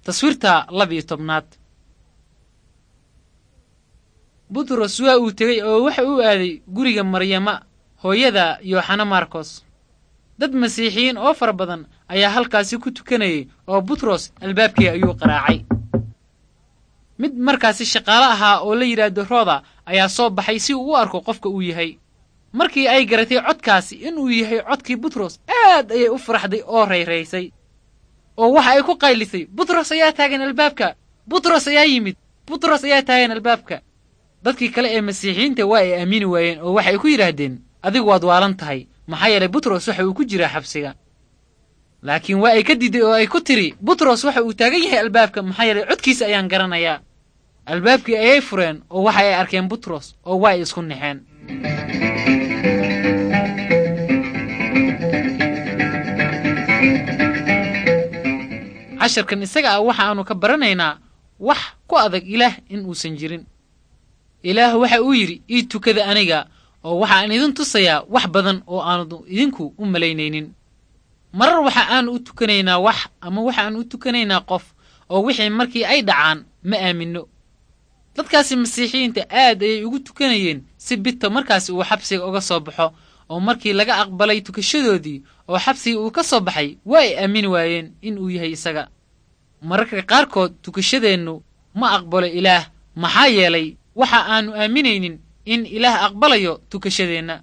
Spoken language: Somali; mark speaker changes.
Speaker 1: Taswiirta 12aad. Butros waa uu tegey oo waxa uu aaday guriga Maryama, hooyada Yooxana Markos. Dad Masiixiyiin oo fara badan ayaa halkaasi ku tukanayay, oo Butros albaabkii ayuu qaraacay. Mid markaasi shaqaale ahaa oo la yidhaahdo Rooda ayaa soo baxay si uu u arko qofka uu yahay. Markii ay garatay codkaasi inuu yahay codkii Butros, aad ayay u faraxday oo rayraysay, oo waxa ay ku qaylisay: "Butros ayaa taagan albaabka! Butros ayaa yimid! Butros ayaa taagan albaabka!" Dadkii kale ee Masiixiyiinta waa ay aamini waayeen, oo waxay ku yidhaahdeen: "Adigu waad waalan tahay, maxaa yeelay Butros waxa uu ku jiraa xabsiga." Laakiin waa ay ka diiday oo ay ku tidhi: "Butros waxa uu taagan yahay albaabka, maxaa yeelay codkiisa ayaan garanayaa." Albaabkii ayay fureen, oo waxa ay arkeen Butros, oo waa ay isku naxeen. Casharkan isaga ah waxa aanu ka baranaynaa wax ku adag Ilaah in uusan jirin. Ilaah waxa uu yidhi: "Ii tukada aniga, oo waxaan idin tusayaa wax badan oo aanu idinku u malaynaynin." Marar waxa aanu u tukanaynaa wax ama waxa aanu u tukanaynaa qof, oo wixii markii ay dhacaan ma aaminno. Dadkaasi Masiixiyiinta aad ayay ugu tukanayeen si Bito markaasi uu xabsiga uga soo baxo, oo markii laga aqbalay tukashadoodii oo xabsigii uu ka soo baxay, waa ay aamini waayeen in uu yahay isaga. Mararka qaarkood tukashadeennu ma aqbalo Ilaah, maxaa yeelay waxa aanu aaminaynin in Ilaah aqbalayo tukashadeenna.